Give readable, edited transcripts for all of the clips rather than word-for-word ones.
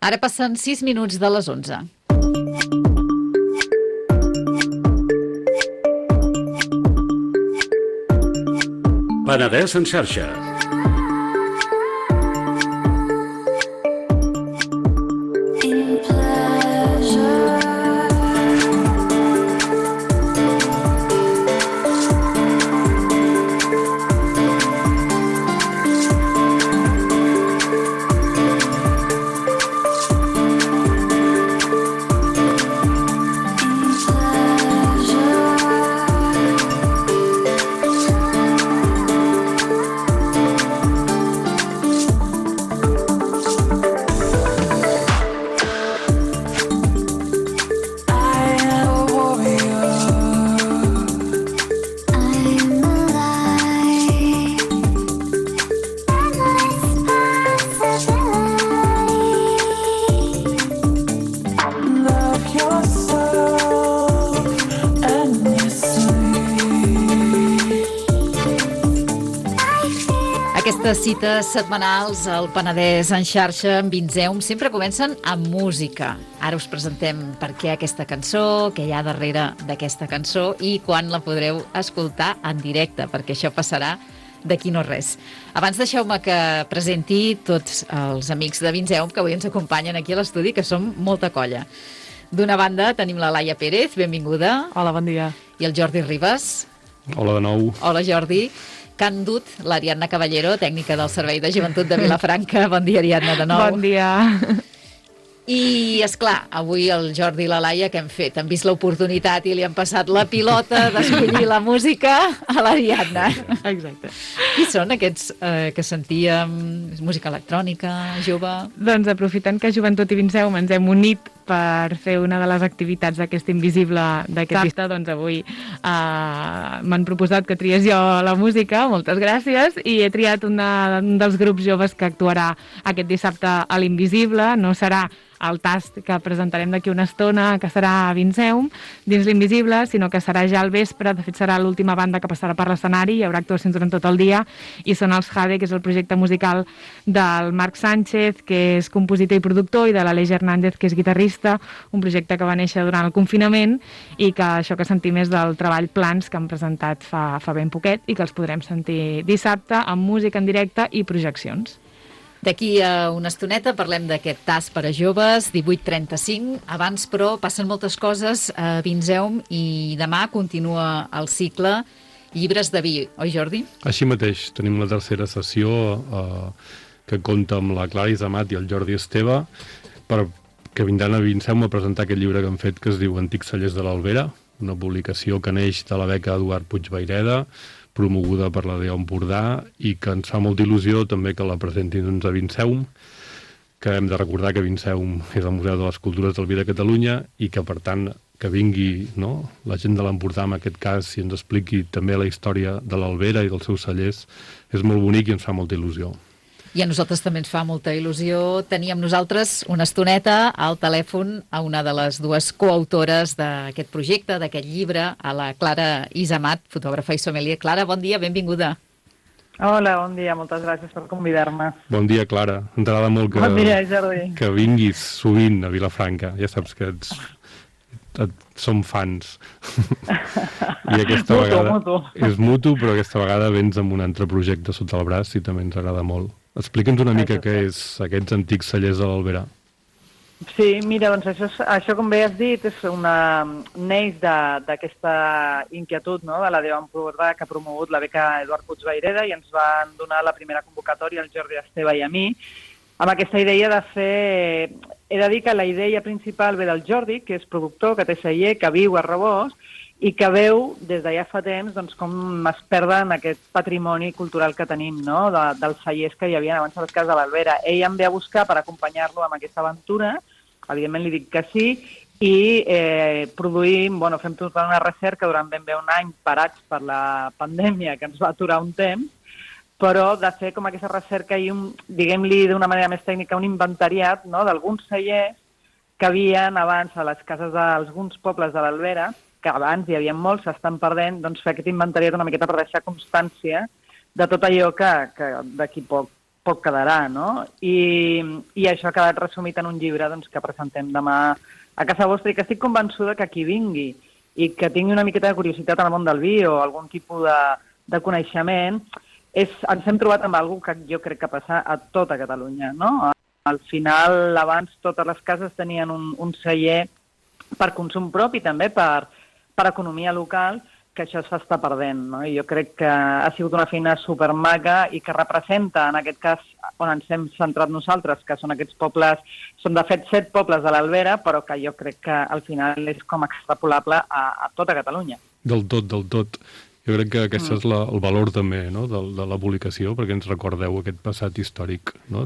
Ara passen 6 minuts de les 11. Penedès en xarxa. Aquestes cites setmanals al Penedès en xarxa amb Vinzeum sempre comencen amb música. Ara us presentem per què aquesta cançó, què hi ha darrere d'aquesta cançó i quan la podreu escoltar en directe, perquè això passarà d'aquí no res. Abans deixeu-me que presenti tots els amics de Vinzeum que avui ens acompanyen aquí a l'estudi, que som molta colla. D'una banda tenim la Laia Pérez, benvinguda. Hola, bon dia. I el Jordi Ribas. Hola de nou. Hola, Jordi. Que han dut l'Ariadna Caballero, tècnica del Servei de Joventut de Vilafranca. Bon dia, Ariadna, de nou. Bon dia. I, esclar, avui el Jordi i la Laia, què han fet? Han vist l'oportunitat i li han passat la pilota d'escollir la música a l'Ariadna. Exacte. Qui són aquests que sentíem? Música electrònica, jove? Doncs aprofitant que Joventut i Vinzeum ens hem unit per fer una de les activitats d'aquest Invisible d'aquest dissabte, doncs avui m'han proposat que triés jo la música, moltes gràcies, i he triat un dels grups joves que actuarà aquest dissabte a l'Invisible. No serà el tast que presentarem d'aquí una estona, que serà a Vinzeum, dins l'Invisible, sinó que serà ja al vespre. De fet, serà l'última banda que passarà per l'escenari, hi haurà actuacions durant tot el dia, i són els Jade, que és el projecte musical del Marc Sánchez, que és compositor i productor, i de l'Aleix Hernández, que és guitarrista, un projecte que va néixer durant el confinament i que això que sentim és del treball Plans, que han presentat fa ben poquet i que els podrem sentir dissabte amb música en directe i projeccions. D'aquí a una estoneta parlem d'aquest tast per a joves, 18:35. Abans, però, passen moltes coses a Vinzeum i demà continua el cicle Llibres de vi, oi, Jordi? Així mateix, tenim la tercera sessió que compta amb la Clara Isamat i el Jordi Esteve, que vindran a Vinzeum a presentar aquest llibre que han fet, que es diu Antics cellers de l'Albera, una publicació que neix de la beca Eduard Puig Vayreda, promoguda per la DEO Empordà, i que ens fa molta il·lusió també que la presentin doncs, a Vinzeum, que hem de recordar que Vinzeum és el Museu de les Cultures del Vi de Catalunya i que, per tant, que vingui la gent de l'Empordà, en aquest cas, i ens expliqui també la història de l'Albera i dels seus cellers, és molt bonic i ens fa molta il·lusió. I a nosaltres també ens fa molta il·lusió tenir amb nosaltres una estoneta al telèfon a una de les dues coautores d'aquest projecte, d'aquest llibre, a la Clara Isamat, fotògrafa i sommelier. Clara, bon dia, benvinguda. Hola, bon dia, moltes gràcies per convidar-me. Bon dia, Clara. Ens agrada molt Bon dia, Jordi. Que vinguis sovint a Vilafranca. Ja saps que som fans. I aquesta vegada és mutu, però aquesta vegada vens amb un altre projecte sota el braç i també ens agrada molt. Explica'ns una mica què és aquests Antics cellers de l'Albera. Sí, mira, doncs això com bé has dit, és neix d'aquesta inquietud, no?, de la DEO Empordà, que ha promogut la beca Eduard Puig Vayreda, i ens van donar la primera convocatòria al Jordi Esteve i a mi, amb aquesta idea de fer... He de dir que la idea principal ve del Jordi, que és productor, que té celler, que viu a Rabós, i que veu des de ja fa temps doncs, com es perden aquest patrimoni cultural que tenim, no?, dels cellers que hi havia abans a les cases de l'Albera. Ell em ve a buscar per acompanyar-lo amb aquesta aventura, evidentment li dic que sí, i produïm, fem tota una recerca durant ben bé un any parats per la pandèmia, que ens va aturar un temps, però de fer com aquesta recerca i, diguem-li d'una manera més tècnica, un inventariat, no?, d'alguns cellers que havien abans a les cases d'alguns pobles de l'Albera, que abans hi havia molts, s'estan perdent, doncs fer aquest inventariat una miqueta per deixar constància de tot allò que d'aquí poc poc quedarà, no? I això ha quedat resumit en un llibre doncs, que presentem demà a casa vostra i que estic convençuda que qui vingui i que tingui una miqueta de curiositat en el món del vi o algun tipus de coneixement, ens hem trobat amb alguna cosa que jo crec que passa a tota Catalunya, no? Al final, abans, totes les cases tenien un celler per consum propi, també per economia local, que això s'està perdent, no? I jo crec que ha sigut una feina supermaca i que representa, en aquest cas, on ens hem centrat nosaltres, que són aquests pobles, són de fet 7 pobles de l'Albera, però que jo crec que al final és com extrapolable a tota Catalunya. Del tot. Jo crec que aquest és el valor també, no?, de la publicació, perquè ens recordeu aquest passat històric, no?,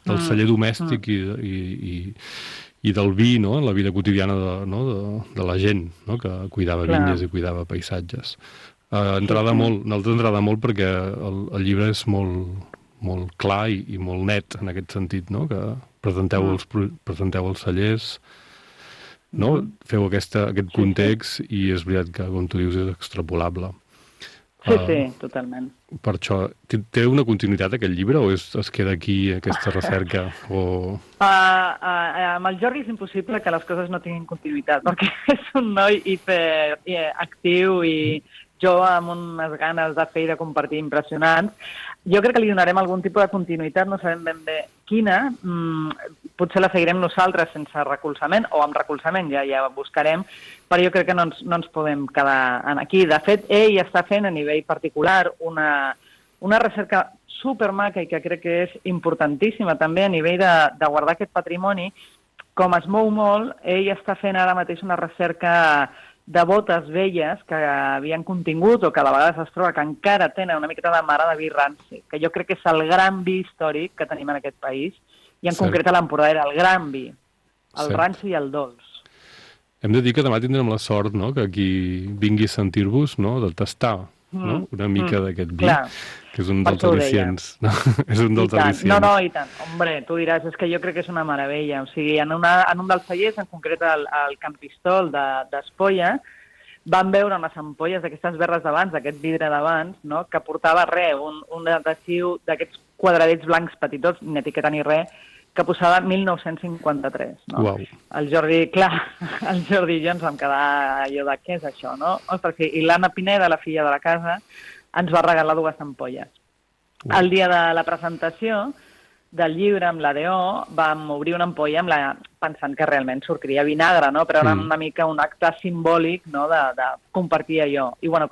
del celler domèstic i del vi, no?, en la vida quotidiana de la gent, no?, que cuidava vinyes i cuidava paisatges. Nosaltres ens agrada molt perquè el llibre és molt clar i molt net en aquest sentit, no?, que presenteu els cellers, no?, feu aquest context i és veritat que, com tu dius, és extrapolable. Sí, totalment. Per això, té una continuïtat aquest llibre o es queda aquí aquesta recerca? Amb el Jordi és impossible que les coses no tinguin continuïtat, perquè és un noi hiperactiu i jo amb unes ganes de fer i de compartir impressionants. Jo crec que li donarem algun tipus de continuïtat, no sabem ben bé quina. Potser la seguirem nosaltres sense recolzament o amb recolzament, ja buscarem, però jo crec que no ens podem quedar aquí. De fet, ell està fent a nivell particular una recerca supermaca i que crec que és importantíssima també a nivell de guardar aquest patrimoni. Com es mou molt, ell està fent ara mateix una recerca de botes velles que havien contingut o que a vegades es troba que encara tenen una miqueta de mare de vi ranci, que jo crec que és el gran vi històric que tenim en aquest país, i en concret a l'Empordà era el gran vi, el ranci i el dolç. Hem de dir que demà tindrem la sort, no?, que qui vingui a sentir-vos, no?, de tastar una mica d'aquest vi, que és un dels al·licients. És un dels al·licients. No, i tant. Hombre, tu diràs, és que jo crec que és una meravella. O sigui, en un dels cellers, en concret el Campistol d'Espolla, van veure unes ampolles d'aquestes berres d'abans, d'aquest vidre d'abans, no?, que portava un adhesiu d'aquests quadradets blancs petitots, ni etiqueta ni res, que posava 1953. No? Uau. El Jordi i jo ens vam quedar allò de què és això, no? Ostres, i l'Anna Pineda, la filla de la casa, ens va regalar 2 ampolles. El dia de la presentació del llibre amb l'ADO vam obrir una ampolla pensant que realment sortiria vinagre, no? Però era una mica un acte simbòlic, no?, de compartir allò. I bueno,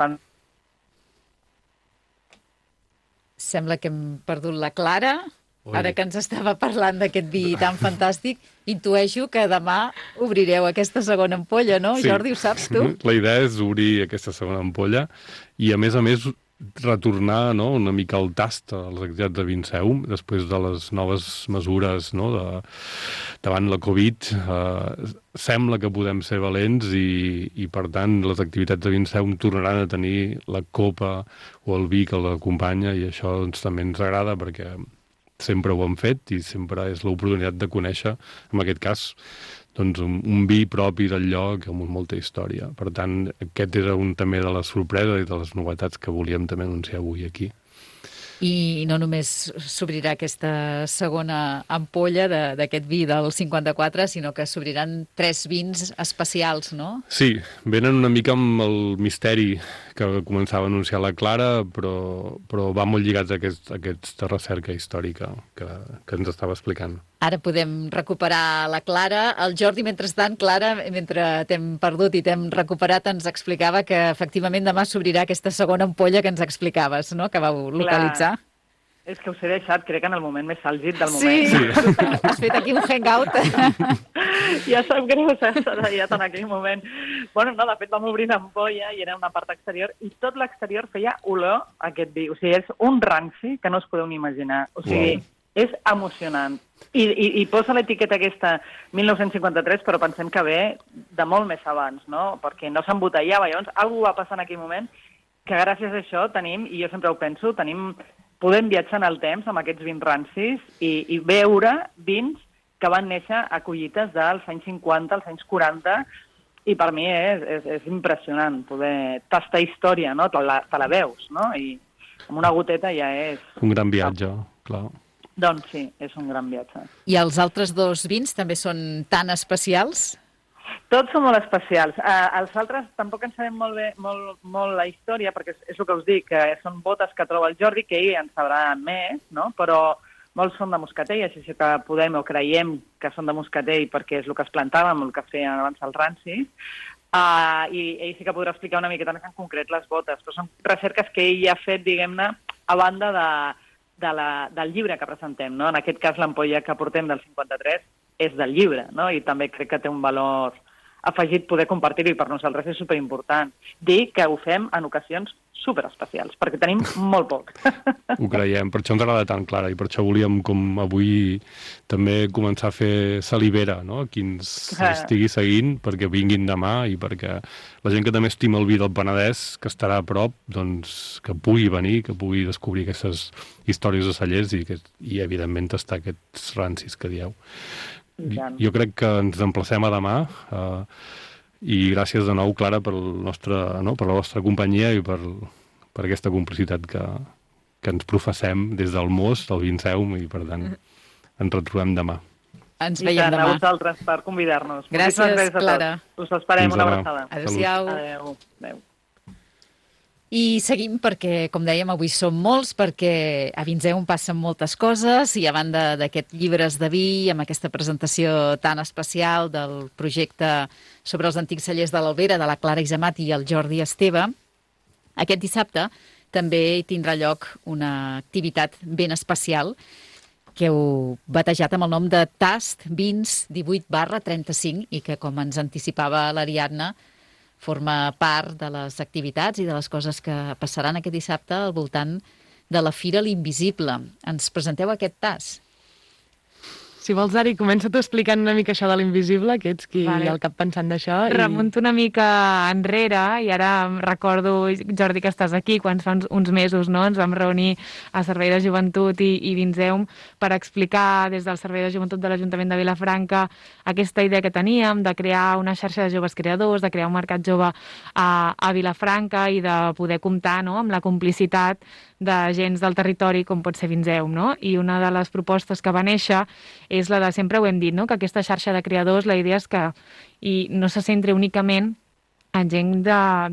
Sembla que hem perdut la Clara. Ara que ens estava parlant d'aquest vi tan fantàstic, intueixo que demà obrireu aquesta segona ampolla, no? Sí. Jordi, ho saps tu? La idea és obrir aquesta segona ampolla i, a més, retornar, no?, una mica al tast als activitats de Vinceum, després de les noves mesures, no?, davant la Covid. Sembla que podem ser valents i, per tant, les activitats de Vinceum tornaran a tenir la copa o el vi que l'acompanya i això també ens agrada perquè sempre ho hem fet i sempre és l'oportunitat de conèixer, en aquest cas, doncs, un vi propi del lloc amb molta història. Per tant, aquest era un també de les sorpreses i de les novetats que volíem també anunciar avui aquí. I no només s'obrirà aquesta segona ampolla d'aquest vi del 54, sinó que s'obriran 3 vins especials, no? Sí, venen una mica amb el misteri que començava a anunciar la Clara, però va molt lligats a aquesta recerca històrica que ens estava explicant. Ara podem recuperar la Clara. El Jordi, mentrestant, Clara, mentre t'hem perdut i t'hem recuperat, ens explicava que efectivament demà s'obrirà aquesta segona ampolla que ens explicaves, no?, que vau localitzar. Clar. És que us he deixat, crec, en el moment més àlgid del moment. Sí. Has fet aquí un hangout. Ja sap greu, s'ha tallat en aquell moment. Bueno, no, de fet vam obrir l'ampolla i era una part exterior i tot l'exterior feia olor a aquest vi. O sigui, és un ranci que no us podeu ni imaginar. O sigui, és emocionant. I posa l'etiqueta aquesta 1953, però pensem que ve de molt més abans, no? Perquè no s'embotellava. Llavors, alguna va passar en aquell moment que gràcies a això tenim, i jo sempre ho penso, podem viatjar en el temps amb aquests vins rancis i veure vins que van néixer a collites dels anys 50, als anys 40, i per mi és impressionant poder tastar història, no? Te la veus, no? I amb una goteta ja és... Un gran viatge, clar. Doncs sí, és un gran viatge. I els altres 2 vins també són tan especials? Tots són molt especials. Els altres tampoc en sabem molt la història, perquè és el que us dic, que són botes que troba el Jordi, que ell en sabrà més, no? Però molts són de moscatell, així que podem o creiem que són de moscatell perquè és el que es plantàvem, el que feien abans el ranci, i ell sí que podrà explicar una miqueta més en concret les botes, però són recerques que ell ha fet, diguem-ne, a banda del llibre que presentem, no? En aquest cas, l'ampolla que portem del 53 és del llibre, no? I també crec que té un valor afegit poder compartir-ho, i per nosaltres és superimportant. Dir que ho fem en ocasions superespecials, perquè tenim molt poc. Ho creiem, per això ens agrada tan clara, i per això volíem, com avui, també començar a fer salivera, no? Qui ens estigui seguint, perquè vinguin demà, i perquè la gent que també estima el vi del Penedès, que estarà a prop, doncs que pugui venir, que pugui descobrir aquestes històries de cellers i evidentment, tastar aquests rancis que dieu. Jo crec que ens emplacem a demà, i gràcies de nou, Clara, per la vostra companyia i per aquesta complicitat que ens professem des del Mos, del Vinceum, i per tant ens retrobem demà. Ens veiem demà. A vosaltres per convidar-nos. Gràcies, Clara. Us esperem, una abraçada. Adéu-siau. Adéu. I seguim perquè, com dèiem, avui som molts, perquè a Vinceum passen moltes coses, i a banda d'aquest llibres de vi, amb aquesta presentació tan especial del projecte sobre els antics cellers de l'Albera, de la Clara Isemat i el Jordi Esteve, aquest dissabte també hi tindrà lloc una activitat ben especial que heu batejat amb el nom de Tast Vins 18/35 i que, com ens anticipava l'Ariadna, forma part de les activitats i de les coses que passaran aquest dissabte al voltant de la Fira l'Invisible. Ens presenteu aquest tas? Si vols, Ari, comença tu explicant una mica això de l'Invisible, que ets qui hi ha al cap pensant d'això. Remunto una mica enrere, i ara em recordo, Jordi, que estàs aquí, quan fa uns mesos, no?, ens vam reunir a Servei de Joventut i Vinceum per explicar des del Servei de Joventut de l'Ajuntament de Vilafranca aquesta idea que teníem de crear una xarxa de joves creadors, de crear un mercat jove a Vilafranca i de poder comptar, no?, amb la complicitat d'agents del territori com pot ser Vinceum, no? I una de les propostes que va néixer és la de, sempre ho hem dit, no?, que aquesta xarxa de creadors, la idea és que no se centri únicament en gent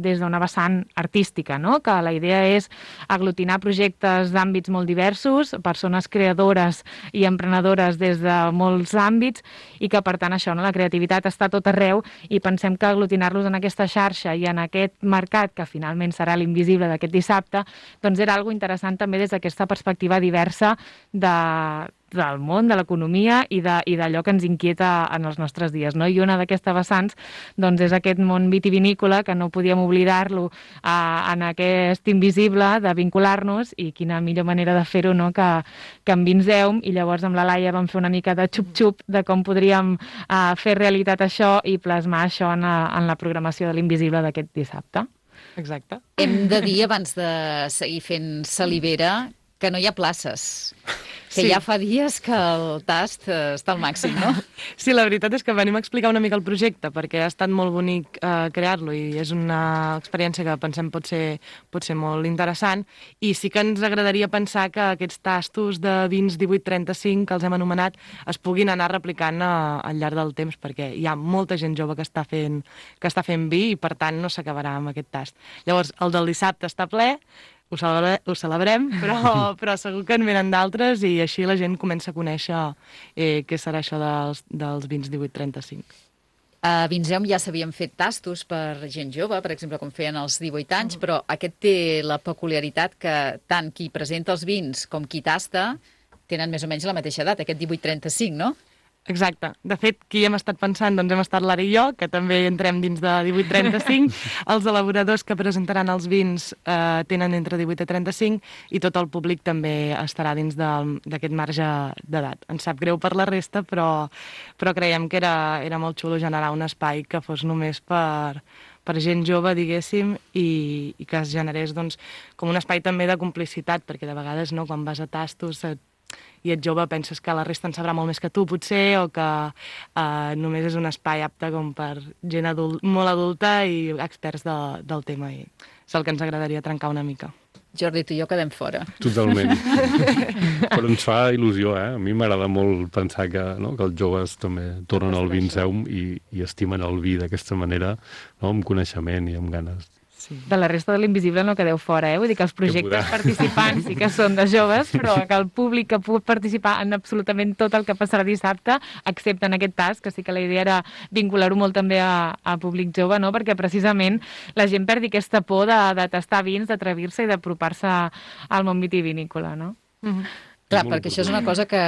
des d'una vessant artística, no?, que la idea és aglutinar projectes d'àmbits molt diversos, persones creadores i emprenedores des de molts àmbits, i que, per tant, això, no?, la creativitat està a tot arreu, i pensem que aglutinar-los en aquesta xarxa i en aquest mercat, que finalment serà l'Invisible d'aquest dissabte, doncs era algo interessant també des d'aquesta perspectiva diversa del món, de l'economia i d'allò que ens inquieta en els nostres dies, no? I una d'aquestes vessants doncs, és aquest món vitivinícola, que no podíem oblidar-lo en aquest Invisible, de vincular-nos, i quina millor manera de fer-ho, no?, que en Vinceum. I llavors amb la Laia vam fer una mica de xup-xup de com podríem fer realitat això i plasmar això en la programació de l'Invisible d'aquest dissabte. Exacte. Hem de dir, abans de seguir fent salivera, que no hi ha places. Que ja fa dies que el tast està al màxim, no? Sí, la veritat és que venim a explicar una mica el projecte, perquè ha estat molt bonic crear-lo, i és una experiència que pensem pot ser molt interessant, i sí que ens agradaria pensar que aquests tastos de vins 1835, que els hem anomenat, es puguin anar replicant al llarg del temps, perquè hi ha molta gent jove que està fent vi, i per tant no s'acabarà amb aquest tast. Llavors, el del dissabte està ple, ho celebrem, però segur que en venen d'altres, i així la gent comença a conèixer què serà això dels vins 1835. A Vinceum ja s'havien fet tastos per gent jove, per exemple, com feien als 18 anys, però aquest té la peculiaritat que tant qui presenta els vins com qui tasta tenen més o menys la mateixa edat, aquest 1835, no? Exacte. De fet, qui hem estat pensant, doncs hem estat l'Ara i jo, que també entrem dins de 18-35. Els elaboradors que presentaran els vins tenen entre 18 i 35, i tot el públic també estarà dins d'aquest marge d'edat. Ens sap greu per la resta, però creiem que era molt xulo generar un espai que fos només per gent jove, diguéssim, i que es generés doncs, com un espai també de complicitat, perquè de vegades, no, quan vas a tastos i ets jove penses que la resta en sabrà molt més que tu, potser, o que només és un espai apte com per gent molt adulta i experts del tema, i és el que ens agradaria trencar una mica. Jordi, tu i jo quedem fora. Totalment. Però ens fa il·lusió, eh? A mi m'agrada molt pensar que els joves també tornen al Vinceum i estimen el vi d'aquesta manera, no? Amb coneixement i amb ganes. Sí. De la resta de l'Invisible no quedeu fora, Vull dir que els projectes participants sí que són de joves, però que el públic que pugui participar en absolutament tot el que passarà dissabte, excepte en aquest tas, que sí que la idea era vincular-ho molt també a públic jove, no? Perquè precisament la gent perdi aquesta por de tastar vins, d'atrevir-se i d'apropar-se al món vitivinícola, no? Clar, perquè això és una cosa que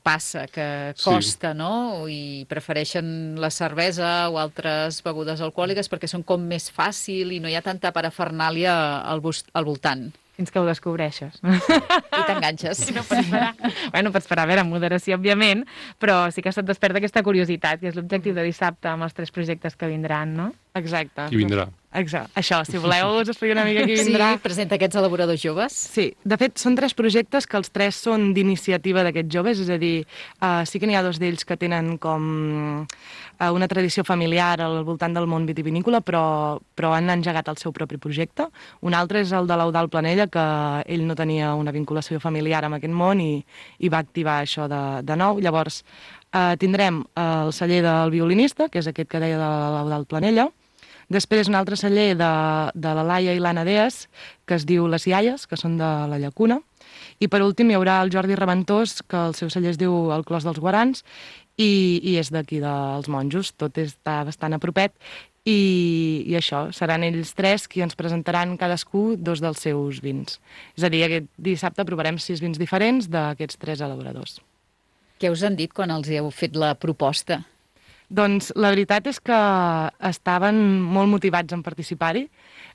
passa, que costa, no? I prefereixen la cervesa o altres begudes alcohòliques perquè són com més fàcil i no hi ha tanta parafernàlia al voltant. Fins que ho descobreixes. I t'enganxes. No pots parar. Bueno, pots parar, a veure, amb moderació, òbviament, però sí que se't desperta aquesta curiositat, que és l'objectiu de dissabte amb els 3 projectes que vindran, no? Exacte. Qui vindrà? Exacte. Això, si voleu, us explico una mica qui vindrà. Sí, presenta aquests elaboradors joves. Sí, de fet, són 3 projectes que els 3 són d'iniciativa d'aquests joves, és a dir, sí que n'hi ha 2 d'ells que tenen com una tradició familiar al voltant del món vitivinícola, però han engegat el seu propi projecte. Un altre és el de l'Eudald Planella, que ell no tenia una vinculació familiar amb aquest món i va activar això de nou. Llavors, tindrem el celler del violinista, que és aquest que deia de l'Eudald Planella. Després un altre celler de la Laia i l'Anna Deas, que es diu Les Iaies, que són de la Llacuna. I per últim hi haurà el Jordi Reventós, que el seu celler es diu el Clos dels Guarans, i és d'aquí dels Monjos, tot està bastant a propet. I això, seran ells 3 qui ens presentaran cadascú 2 dels seus vins. És a dir, aquest dissabte provarem 6 vins diferents d'aquests 3 elaboradors. Què us han dit quan els heu fet la proposta? Doncs la veritat és que estaven molt motivats en participar-hi.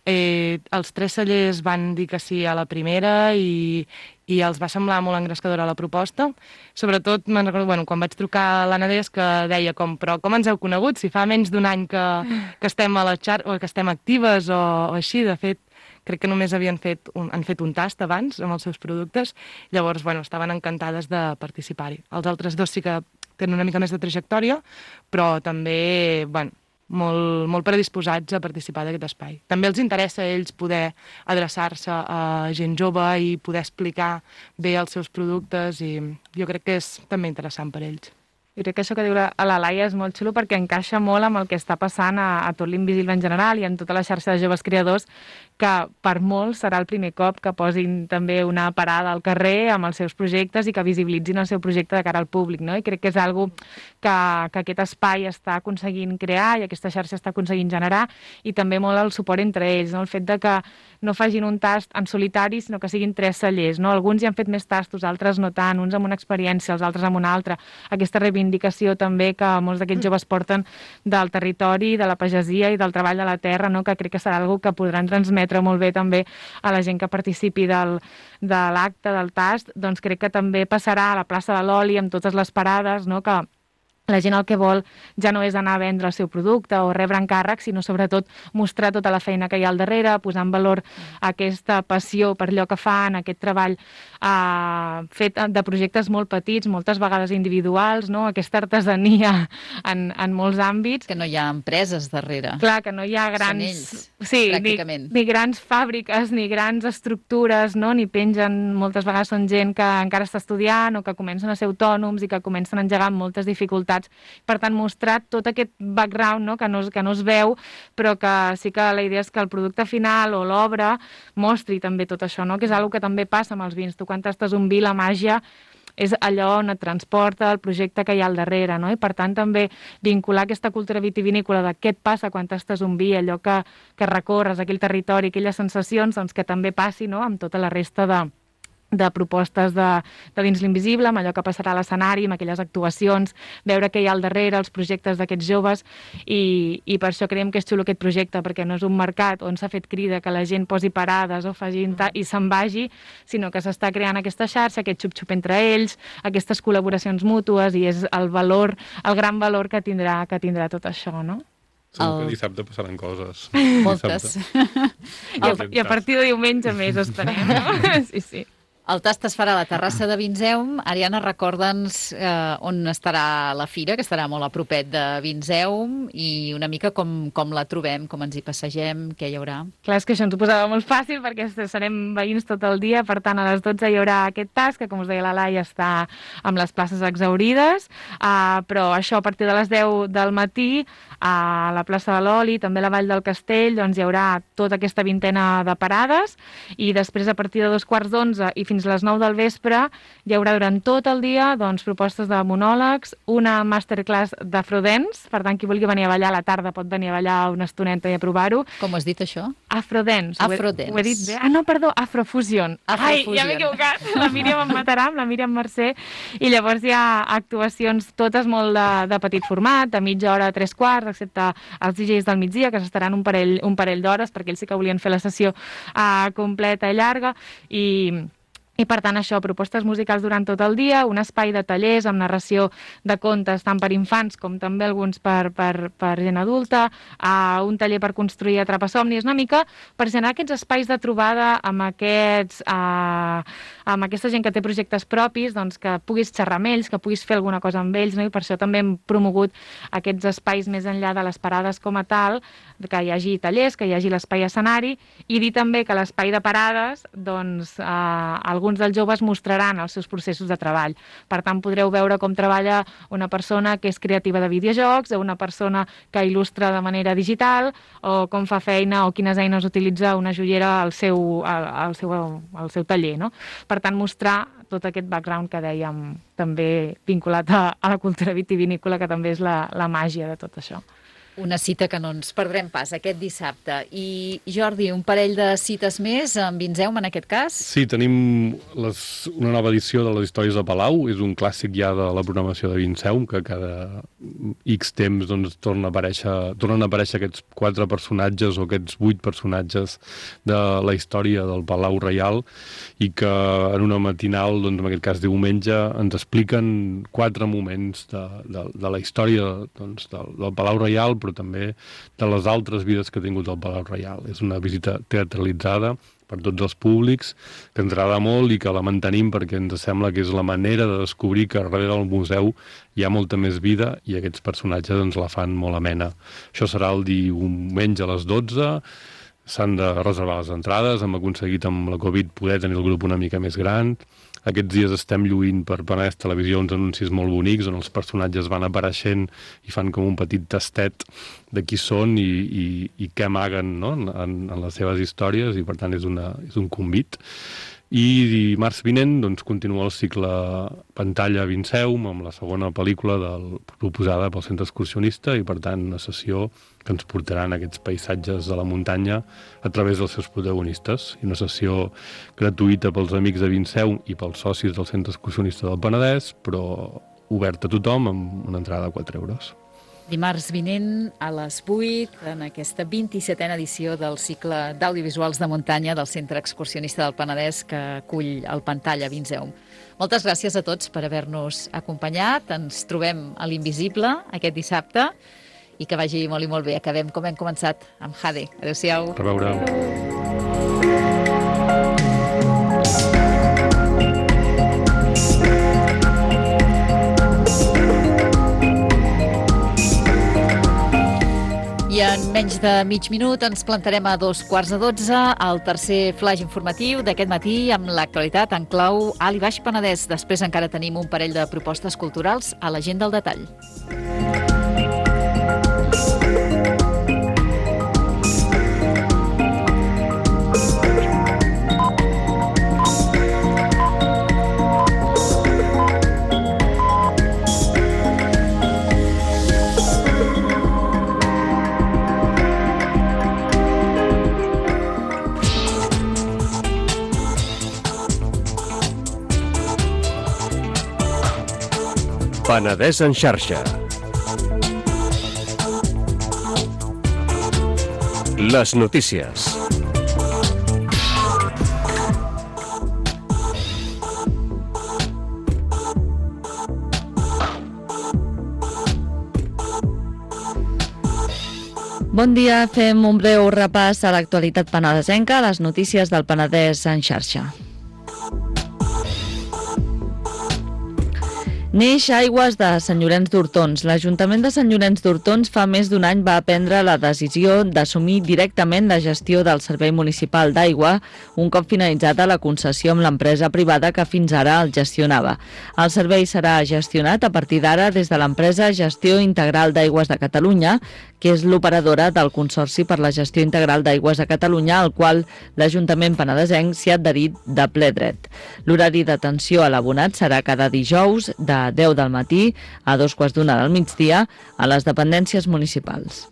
Els 3 cellers van dir que sí a la primera i els va semblar molt engrescadora la proposta. Sobretot, me'n recordo, quan vaig trucar a l'Anna Deas, que deia però com ens heu conegut? Si fa menys d'un any que estem a la o que estem actives o així, de fet, crec que només han fet un tast abans amb els seus productes. Llavors, estaven encantades de participar-hi. Els altres 2 sí que tenen una mica més de trajectòria, però també, molt predisposats a participar d'aquest espai. També els interessa a ells poder adreçar-se a gent jove i poder explicar bé els seus productes i jo crec que és també interessant per ells. Jo crec que això que diu la Laia és molt xulo perquè encaixa molt amb el que està passant a tot l'Invisible en general i en tota la xarxa de joves creadors, que per molts serà el primer cop que posin també una parada al carrer amb els seus projectes i que visibilitzin el seu projecte de cara al públic, no? I crec que és algo que aquest espai està aconseguint crear i aquesta xarxa està aconseguint generar, i també molt el suport entre ells, no? El fet de que no facin un tast en solitari, sinó que siguin 3 cellers, no? Alguns ja han fet més tastos, altres no tant, uns amb una experiència, els altres amb una altra. Aquesta reivindicació també que molts d'aquests joves porten del territori, de la pagesia i del treball de la terra, no? Que crec que serà algo que podran transmetre molt bé també a la gent que participi de l'acte, del tast. Doncs crec que també passarà a la plaça de l'Oli amb totes les parades, no? Que la gent el que vol ja no és anar a vendre el seu producte o rebre encàrrecs, sinó sobretot mostrar tota la feina que hi ha al darrere, posar en valor aquesta passió per allò que fan, aquest treball fet de projectes molt petits, moltes vegades individuals, no? Aquesta artesania en molts àmbits. Que no hi ha empreses darrere. Clar, que no hi ha grans... Són ells, pràcticament. Ni grans fàbriques, ni grans estructures, no? Ni pengen, moltes vegades són gent que encara està estudiant o que comencen a ser autònoms i que comencen a engegar amb moltes dificultats. Per tant, mostrar tot aquest background, no? que no es veu, però que sí que la idea és que el producte final o l'obra mostri també tot això, no? Que és una que també passa amb els vins. Tu quan tastes un vi, la màgia és allò on et transporta el projecte que hi ha al darrere, no? I per tant també vincular aquesta cultura vitivinícola de què et passa quan tastes un vi, allò que recorres, aquell territori, aquelles sensacions, doncs que també passi, no? Amb tota la resta de propostes de dins l'Invisible, amb allò que passarà a l'escenari, amb aquelles actuacions, veure què hi ha al darrere, els projectes d'aquests joves, i per això creiem que és xulo aquest projecte, perquè no és un mercat on s'ha fet crida que la gent posi parades o i se'n vagi, sinó que s'està creant aquesta xarxa, aquest xup-xup entre ells, aquestes col·laboracions mútues, i és el gran valor que tindrà tot això, no? Segur que dissabte passaran coses. Moltes. I a partir de diumenge més, esperem, no? Sí. El tast es farà a la terrassa de Vinseum. Ariana, recorda'ns on estarà la fira, que estarà molt a propet de Vinseum, i una mica com la trobem, com ens hi passegem, què hi haurà. Clar, és que això ens ho posava molt fàcil perquè serem veïns tot el dia, per tant a les 12 hi haurà aquest tast, que com us deia la Laia està amb les places exhaurides, però això a partir de les 10 del matí a la plaça de l'Oli, també a la Vall del Castell, doncs hi haurà tota aquesta vintena de parades, i després a partir de 2:15 i fins a les 9 del vespre hi haurà durant tot el dia doncs, propostes de monòlegs, una masterclass d'afrodance, per tant qui vulgui venir a ballar a la tarda pot venir a ballar una estoneta i a provar-ho. Com has dit això? Afrodance. Afrodance. Ho he dit bé? Ah, no, perdó, Afrofusion. Ai, ja m'he equivocat. La Míriam em matarà, amb la Míriam Mercè. I llavors hi ha actuacions totes molt de petit format, de mitja hora a 3/4, excepte els DJs del migdia, que s'estaran un parell d'hores, perquè ells sí que volien fer la sessió completa i llarga, i per tant això, propostes musicals durant tot el dia, un espai de tallers amb narració de contes tant per infants com també alguns per gent adulta, un taller per construir atrapasomnis, una mica per generar aquests espais de trobada amb aquesta gent que té projectes propis, doncs que puguis xerrar amb ells, que puguis fer alguna cosa amb ells, no? I per això també hem promogut aquests espais més enllà de les parades com a tal, que hi hagi tallers, que hi hagi l'espai escenari, i dir també que a l'espai de parades, doncs, alguns dels joves mostraran els seus processos de treball. Per tant, podreu veure com treballa una persona que és creativa de videojocs, o una persona que il·lustra de manera digital, o com fa feina o quines eines utilitza una joiera al seu taller, no? Per tant, mostrar tot aquest background que dèiem, també vinculat a la cultura vitivinícola, que també és la màgia de tot això. Una cita que no ens perdrem pas aquest dissabte. I, Jordi, un parell de cites més en Vinseum, en aquest cas? Sí, tenim una nova edició de les històries de Palau. És un clàssic ja de la programació de Vinseum, que cada X temps doncs, tornen a aparèixer aquests 4 personatges o aquests 8 personatges de la història del Palau Reial, i que en una matinal, doncs, en aquest cas diumenge, ens expliquen 4 moments de la història doncs, del Palau Reial, però també de les altres vides que ha tingut el Palau Reial. És una visita teatralitzada per tots els públics, que ens agrada molt i que la mantenim perquè ens sembla que és la manera de descobrir que darrere del museu hi ha molta més vida i aquests personatges ens la fan molt amena. Això serà el diumenge a les 12, s'han de reservar les entrades, hem aconseguit amb la Covid poder tenir el grup una mica més gran. Aquests dies estem lluint per Penedès Televisió uns anuncis molt bonics on els personatges van apareixent i fan com un petit tastet de qui són i què amaguen, no? en les seves històries, i per tant és un convit. I dimarts vinent doncs, continua el cicle Pantalla Vinseum amb la segona pel·lícula proposada pel Centre Excursionista, i per tant una sessió que ens portaran aquests paisatges de la muntanya a través dels seus protagonistes, i una sessió gratuïta pels amics de Vinseum i pels socis del Centre Excursionista del Penedès, però oberta a tothom amb una entrada de 4 euros. Dimarts vinent a les 8, en aquesta 27a edició del cicle d'audiovisuals de muntanya del Centre Excursionista del Penedès, que acull el Pantalla Vinseum. Moltes gràcies a tots per haver-nos acompanyat. Ens trobem a l'Invisible aquest dissabte, i que vagi molt i molt bé. Acabem com hem començat, amb Jade. Adéu-siau. A veure. I en menys de mig minut ens plantarem a 12:15 al tercer flash informatiu d'aquest matí amb l'actualitat en clau Alt i Baix Penedès. Després encara tenim un parell de propostes culturals a l'agenda al detall. Penedès en xarxa. Les notícies. Bon dia, fem un breu repàs a l'actualitat penedesenca, les notícies del Penedès en xarxa. Neix Aigües de Sant Llorenç d'Hortons. L'Ajuntament de Sant Llorenç d'Hortons fa més d'un any va prendre la decisió d'assumir directament la gestió del Servei Municipal d'Aigua, un cop finalitzada la concessió amb l'empresa privada que fins ara el gestionava. El servei serà gestionat a partir d'ara des de l'empresa Gestió Integral d'Aigües de Catalunya, que és l'operadora del Consorci per la Gestió Integral d'Aigües de Catalunya, al qual l'Ajuntament penedesenc s'hi ha adherit de ple dret. L'horari d'atenció a l'abonat serà cada dijous de 10 del matí a 2:15 del migdia a les dependències municipals.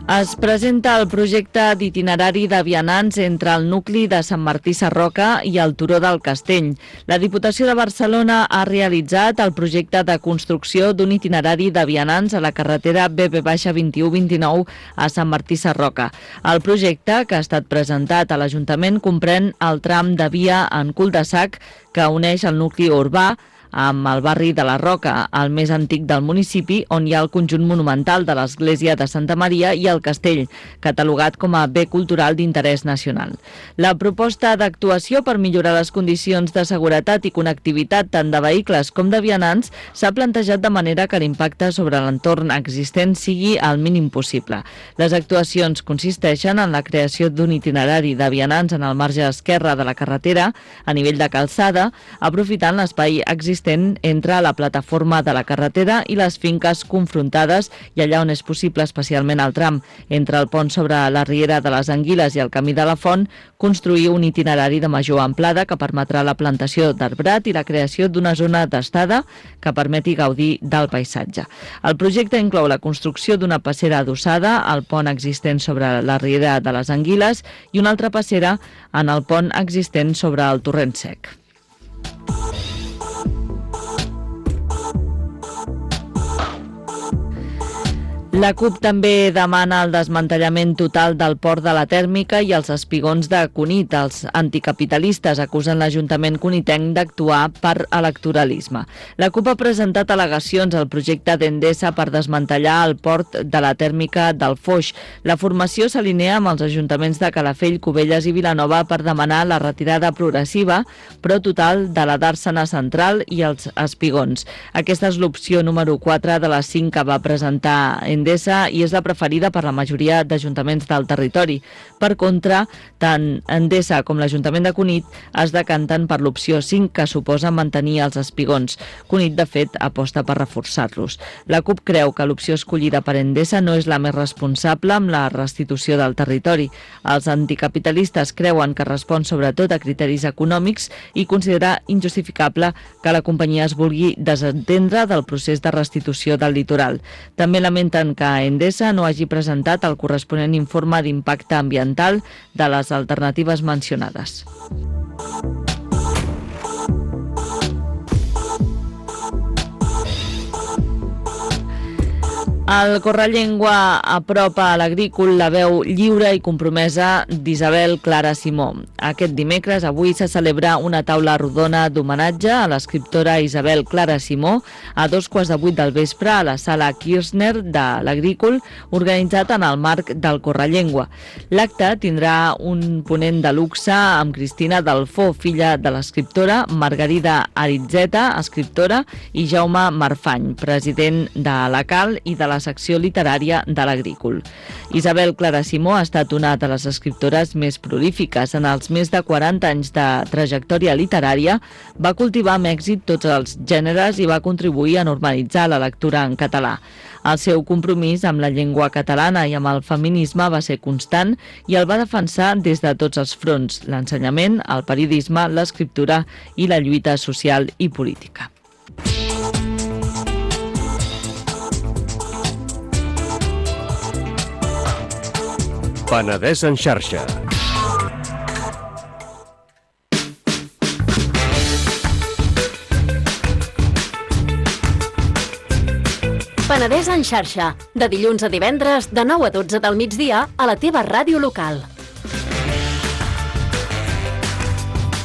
Es presenta el projecte d'itinerari de vianants entre el nucli de Sant Martí Sarroca i el Turó del Castell. La Diputació de Barcelona ha realitzat el projecte de construcció d'un itinerari de vianants a la carretera BP-2129 a Sant Martí Sarroca. El projecte, que ha estat presentat a l'Ajuntament, comprèn el tram de via en cul-de-sac que uneix el nucli urbà amb el barri de la Roca, el més antic del municipi, on hi ha el conjunt monumental de l'església de Santa Maria i el castell, catalogat com a bé cultural d'interès nacional. La proposta d'actuació per millorar les condicions de seguretat i connectivitat tant de vehicles com de vianants s'ha plantejat de manera que l'impacte sobre l'entorn existent sigui el mínim possible. Les actuacions consisteixen en la creació d'un itinerari de vianants en el marge esquerre de la carretera a nivell de calçada, aprofitant l'espai existent entre la plataforma de la carretera i les finques confrontades i allà on és possible, especialment al tram entre el pont sobre la riera de les Anguiles i el camí de la Font, construir un itinerari de major amplada que permetrà la plantació d'arbrat i la creació d'una zona d'estada que permeti gaudir del paisatge. El projecte inclou la construcció d'una passera adossada al pont existent sobre la riera de les Anguiles i una altra passera en el pont existent sobre el torrent sec. La CUP també demana el desmantellament total del port de la Tèrmica i els espigons de Cunit. Els anticapitalistes acusen l'Ajuntament cunitenc d'actuar per electoralisme. La CUP ha presentat al·legacions al projecte d'Endesa per desmantellar el port de la Tèrmica del Foix. La formació s'alinea amb els ajuntaments de Calafell, Cubelles i Vilanova per demanar la retirada progressiva, però total, de la Dàrsena Central i els espigons. Aquesta és l'opció número 4 de les 5 que va presentar Endesa i és la preferida per la majoria d'ajuntaments del territori. Per contra, tant Endesa com l'Ajuntament de Cunit es decanten per l'opció 5, que suposa mantenir els espigons. Cunit, de fet, aposta per reforçar-los. La CUP creu que l'opció escollida per Endesa no és la més responsable amb la restitució del territori. Els anticapitalistes creuen que respon sobretot a criteris econòmics i considera injustificable que la companyia es vulgui desentendre del procés de restitució del litoral. També lamenten que Endesa no hagi presentat el corresponent informe d'impacte ambiental de les alternatives mencionades. El Correllengua apropa a l'agrícola la veu lliure i compromesa d'Isabel Clara Simó. Aquest dimecres, avui, se celebra una taula rodona d'homenatge a l'escriptora Isabel Clara Simó a 7:15 del vespre a la sala Kirchner de l'Agrícola, organitzat en el marc del Correllengua. L'acte tindrà un ponent de luxe amb Cristina Dalfó, filla de l'escriptora, Margarida Aritzeta, escriptora, i Jaume Marfany, president de la CAL i de la secció literària de l'Agrícola. Isabel Clara Simó ha estat una de les escriptores més prolífiques. En els més de 40 anys de trajectòria literària va cultivar amb èxit tots els gèneres i va contribuir a normalitzar la lectura en català. El seu compromís amb la llengua catalana i amb el feminisme va ser constant i el va defensar des de tots els fronts: l'ensenyament, el periodisme, l'escriptura i la lluita social i política. Penedès en xarxa. Penedès en xarxa, de dilluns a divendres, de 9 a 12 del migdia, a la teva ràdio local.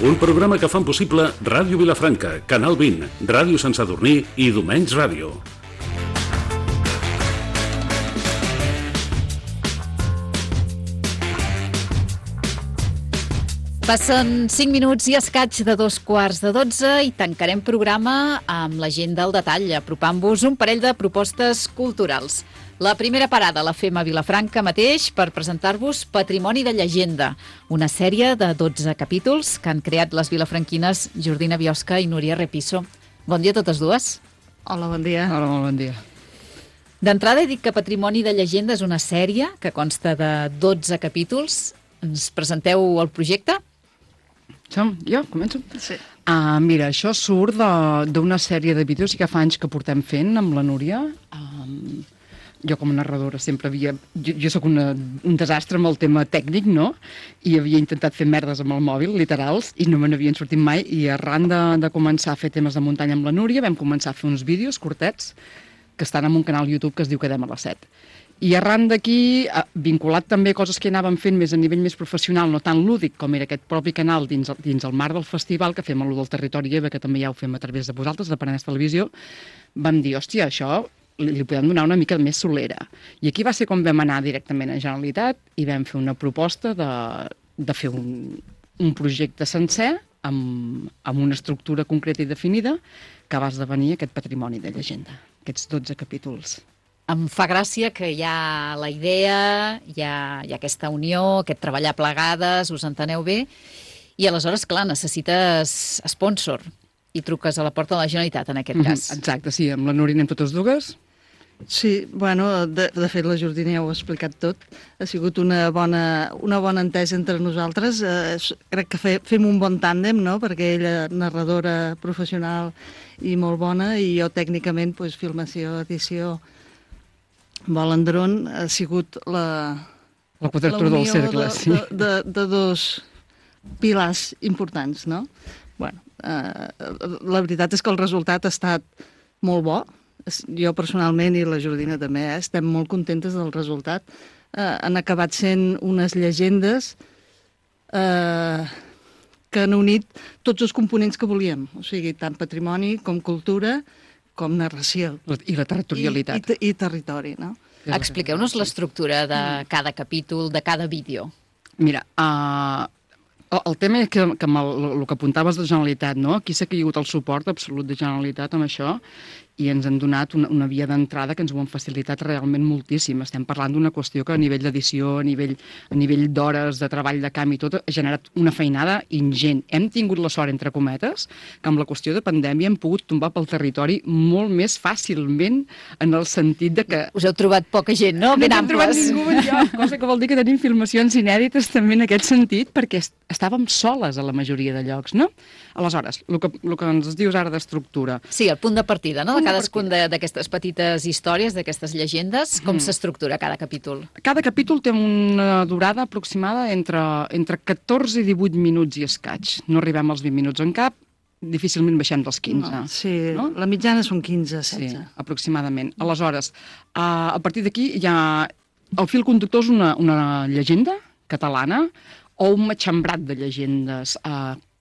Un programa que fan possible Ràdio Vilafranca, Canal 20, Ràdio Sant Sadurní i Domenys Ràdio. Passen 5 minuts i escaig de 2:15 i tancarem programa amb l'agenda al detall, apropant-vos un parell de propostes culturals. La primera parada la fem a Vilafranca mateix per presentar-vos Patrimoni de llegenda, una sèrie de 12 capítols que han creat les vilafranquines Jordina Biosca i Núria Repiso. Bon dia a totes dues. Hola, bon dia. Hola, molt bon dia. D'entrada he dit que Patrimoni de llegenda és una sèrie que consta de 12 capítols. Ens presenteu el projecte? Jo? Començo? Sí. Mira, això surt d'una sèrie de vídeos que fa anys que portem fent amb la Núria. Jo com a narradora sempre havia... Jo sóc un desastre amb el tema tècnic, no? I havia intentat fer merdes amb el mòbil, literals, i no me n'havien sortit mai. I arran de començar a fer temes de muntanya amb la Núria, vam començar a fer uns vídeos curtets que estan en un canal YouTube que es diu Quedem a les 7. I arran d'aquí, vinculat també a coses que anàvem fent més a nivell més professional, no tan lúdic com era aquest propi canal dins el marc del festival, que fem a lo del Territori EVA, que també ja ho fem a través de vosaltres, de Penedès Televisió, vam dir, hòstia, això li podem donar una mica més solera. I aquí va ser com vam anar directament a Generalitat i vam fer una proposta de fer un projecte sencer amb una estructura concreta i definida que va esdevenir aquest Patrimoni de llegenda, aquests 12 capítols. Em fa gràcia que hi ha la idea, hi ha aquesta unió, aquest treballar plegades, us enteneu bé, i aleshores, clar, necessites sponsor i truques a la porta de la Generalitat, en aquest cas. Exacte, sí, amb la Núria anem totes dues. Sí, bueno, de fet la Jordina ja ho ha explicat tot. Ha sigut una bona entesa entre nosaltres. Crec que fem un bon tàndem, no?, perquè ella narradora professional i molt bona, i jo tècnicament, filmació, edició, vol en dron, ha sigut la quadratura del cercle, sí. de dos pilars importants, no? Bueno, la veritat és que el resultat ha estat molt bo. Jo personalment i la Jordina també estem molt contentes del resultat. Han acabat sent unes llegendes que han unit tots els components que volíem, o sigui, tant patrimoni com cultura, com narració. I la territorialitat. I territori, no? Expliqueu-nos l'estructura de cada capítol, de cada vídeo. Mira, el tema és que el que apuntaves de Generalitat, no? Aquí s'ha caigut el suport absolut de Generalitat amb això i ens han donat una via d'entrada que ens ho han facilitat realment moltíssim. Estem parlant d'una qüestió que a nivell d'edició, a nivell d'hores, de treball de camp i tot, ha generat una feinada ingent. Hem tingut la sort, entre cometes, que amb la qüestió de pandèmia hem pogut tombar pel territori molt més fàcilment, en el sentit de que... Us heu trobat poca gent, no? Ben amples. No hem trobat ningú enlloc, cosa que vol dir que tenim filmacions inèdites també en aquest sentit, perquè estàvem soles a la majoria de llocs, no? Aleshores, el que ens dius ara d'estructura... Sí, el punt de partida, no?, de cadascun d'aquestes petites històries, d'aquestes llegendes, com s'estructura cada capítol? Cada capítol té una durada aproximada entre 14 i 18 minuts i escaig. No arribem als 20 minuts en cap, difícilment baixem dels 15. No, sí, no? La mitjana són 15, 16. Sí, aproximadament. Aleshores, a partir d'aquí hi ha... El fil conductor és una llegenda catalana o un matxembrat de llegendes.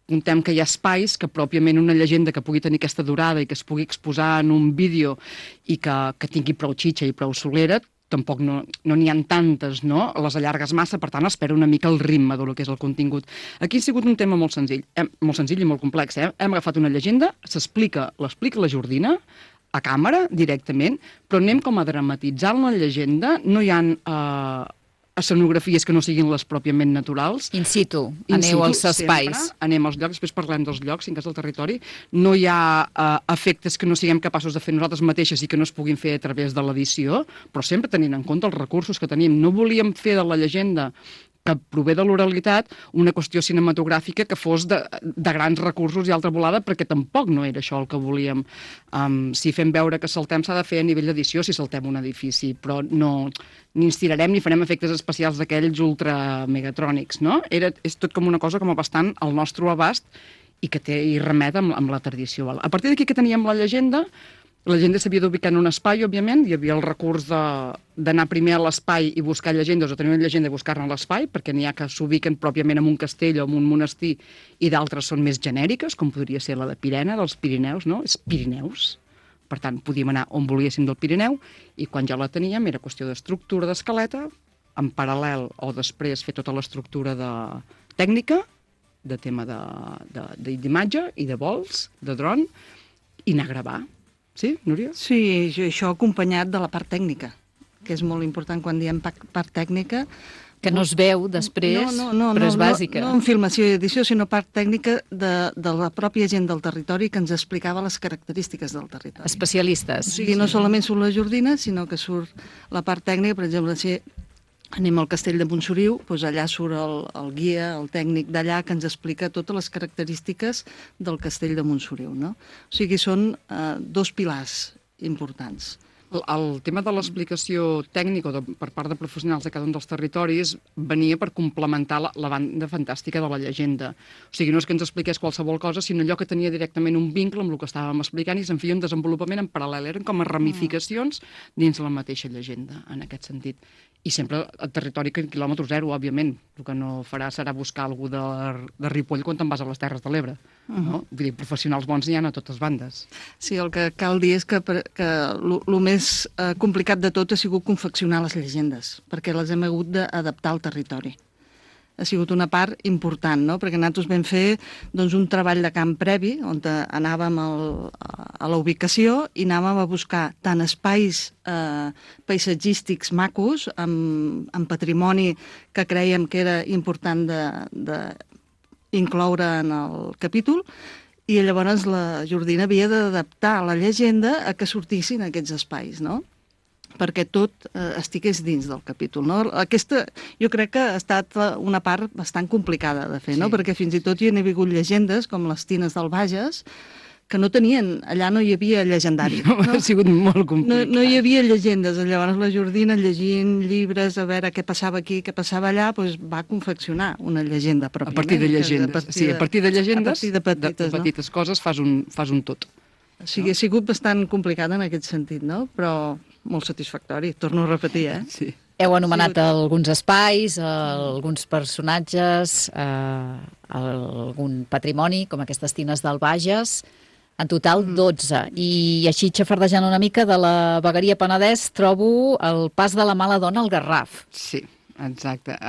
Contem que hi ha espais que pròpiament una llegenda que pugui tenir aquesta durada i que es pugui exposar en un vídeo i que tingui prou xitxa i prou solera, tampoc no n'hi ha tantes, no? Les allargues massa, per tant, espera una mica el ritme del que és el contingut. Aquí ha sigut un tema molt senzill i molt complex. Hem agafat una llegenda, l'explica la Jordina, a càmera, directament, però anem com a dramatitzant la llegenda, no hi ha escenografies que no siguin les pròpiament naturals. In situ, aneu als espais. Sempre, anem als llocs, després parlem dels llocs, en cas del territori. No hi ha efectes que no siguem capaços de fer nosaltres mateixes i que no es puguin fer a través de l'edició, però sempre tenint en compte els recursos que tenim. No volíem fer de la llegenda que prové de l'oralitat una qüestió cinematogràfica que fos de grans recursos i altra volada, perquè tampoc no era això el que volíem. Si fem veure que saltem s'ha de fer a nivell d'edició si saltem un edifici, però no ni ens tirarem ni farem efectes especials d'aquells ultramegatrònics, no? És tot com una cosa com bastant al nostre abast i que hi remet amb la tradició. A partir d'aquí que teníem la llegenda s'havia d'ubicar en un espai, òbviament, hi havia el recurs d'anar primer a l'espai i buscar llegendes o tenir una llegenda i buscar-ne a l'espai, perquè n'hi ha que s'ubiquen pròpiament en un castell o en un monestir i d'altres són més genèriques, com podria ser la de Pirena, dels Pirineus, no? És Pirineus. Per tant, podíem anar on volguéssim del Pirineu i quan ja la teníem era qüestió d'estructura d'escaleta, en paral·lel o després fer tota l'estructura tècnica de tema d'imatge i de vols, de dron, i anar a gravar. Sí, Núria? Sí, això acompanyat de la part tècnica, que és molt important quan diem part tècnica. Que no es veu després, però és bàsica. No en filmació i edició, sinó part tècnica de la pròpia gent del territori que ens explicava les característiques del territori. Especialistes. O sigui, no solament surt la Jordina, sinó que surt la part tècnica, per exemple, si anem al castell de Montsoriu, doncs allà surt el guia, el tècnic d'allà, que ens explica totes les característiques del castell de Montsoriu, no? O sigui, són dos pilars importants. El tema de l'explicació tècnica per part de professionals de cada un dels territoris venia per complementar la banda fantàstica de la llegenda. O sigui, no és que ens expliqués qualsevol cosa, sinó allò que tenia directament un vincle amb el que estàvem explicant i se'n feia un desenvolupament en paral·lel. Eren com a ramificacions dins la mateixa llegenda, en aquest sentit. I sempre al territori quilòmetre zero, òbviament. El que no farà serà buscar algú de Ripoll quan te'n vas a les Terres de l'Ebre. No? Vull dir, professionals bons n'hi ha a totes bandes. Sí, el que cal dir és que el més complicat de tot ha sigut confeccionar les llegendes, perquè les hem hagut d'adaptar al territori. Ha sigut una part important, no? Perquè nosaltres vam fer un treball de camp previ, on anàvem a la ubicació i anàvem a buscar tant espais paisatgístics macos, amb patrimoni que creiem que era important d'incloure en el capítol, i llavors la Jordina havia d'adaptar la llegenda a que sortissin aquests espais, no? Perquè tot estigués dins del capítol, no? Aquesta, jo crec que ha estat una part bastant complicada de fer, no? Perquè fins i tot hi han hagut llegendes, com les tines del Bages, que no tenien, allà no hi havia llegendari. No? Ha sigut molt complicat. No hi havia llegendes. Llavors la Jordina, llegint llibres, a veure què passava aquí, què passava allà, doncs va confeccionar una llegenda pròpiament. A partir de llegendes. Sí, a partir de llegendes, de petites coses, fas un tot. O sigui, ha sigut bastant complicat en aquest sentit, no? Però molt satisfactori, torno a repetir, Sí. Heu anomenat alguns espais, alguns personatges, algun patrimoni, com aquestes tines del Bages, en total 12. I així xafardejant una mica de la vegueria Penedès trobo el pas de la mala dona al Garraf. Sí, exacte.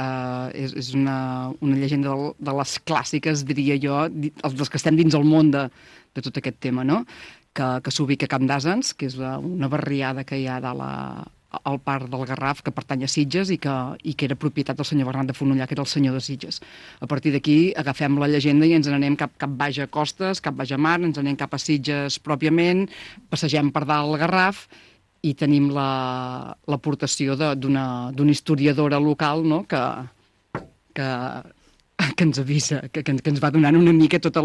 És una llegenda de les clàssiques, diria jo, dels que estem dins el món de tot aquest tema, no? Que s'ubica a Camp d'Àsens, que és una barriada que hi ha al parc del Garraf, que pertany a Sitges i que era propietat del senyor Bernat de Fonollar, que era el senyor de Sitges. A partir d'aquí agafem la llegenda i ens n'anem cap baix a Costes, cap baix a Mar, ens n'anem cap a Sitges pròpiament, passegem per dalt el Garraf i tenim l'aportació d'una historiadora local, no?, que ens avisa, que ens va donant una mica tota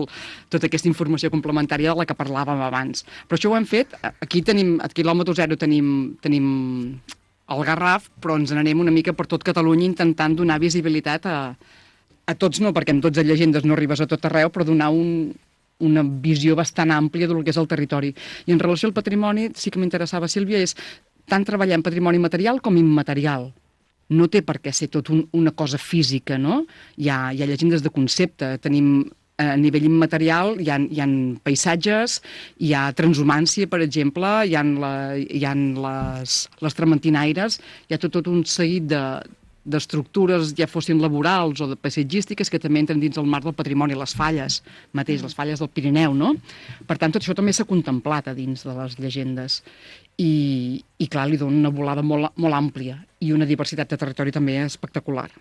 aquesta informació complementària de la que parlàvem abans. Però això ho hem fet, aquí a quilòmetre zero tenim el Garraf, però ens n'anem una mica per tot Catalunya intentant donar visibilitat a tots, no, perquè amb 12 llegendes no arribes a tot arreu, però donar una visió bastant àmplia del que és el territori. I en relació al patrimoni, sí que m'interessava, Sílvia, és tant treballar en patrimoni material com immaterial. No té per què ser tot una cosa física, no? Hi ha llegendes de concepte, tenim a nivell immaterial, hi ha paisatges, hi ha transhumància, per exemple, hi ha les trementinaires, hi ha tot un seguit d'estructures, ja fossin laborals o de paisatgístiques, que també entren dins el marc del patrimoni, les falles mateix, les falles del Pirineu, no? Per tant, tot això també s'ha contemplat a dins de les llegendes. I clar, li dona una volada molt àmplia i una diversitat de territori també espectacular.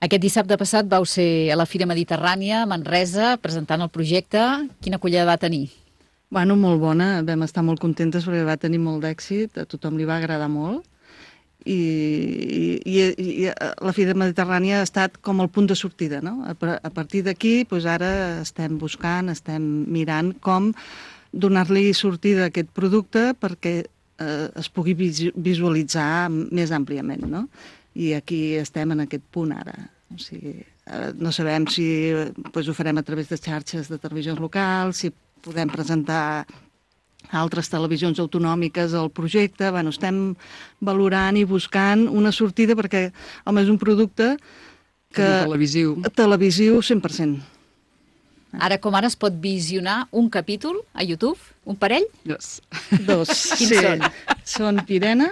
Aquest dissabte passat vau ser a la Fira Mediterrània, a Manresa, presentant el projecte. Quina acollida va tenir? Bueno, molt bona, vam estar molt contentes perquè va tenir molt d'èxit, a tothom li va agradar molt. I la Fira Mediterrània ha estat com el punt de sortida, no? A partir d'aquí, doncs ara estem buscant, estem mirant com donar-li sortida a aquest producte perquè es pugui visualitzar més àmpliament, no? I aquí estem en aquest punt ara. O sigui, no sabem si ho farem a través de xarxes de televisions locals, si podem presentar a altres televisions autonòmiques el projecte. Bueno, estem valorant i buscant una sortida perquè és un producte televisiu 100%. Ara com ara es pot visionar un capítol a YouTube? Un parell? Dos. Quins són? Són Pirena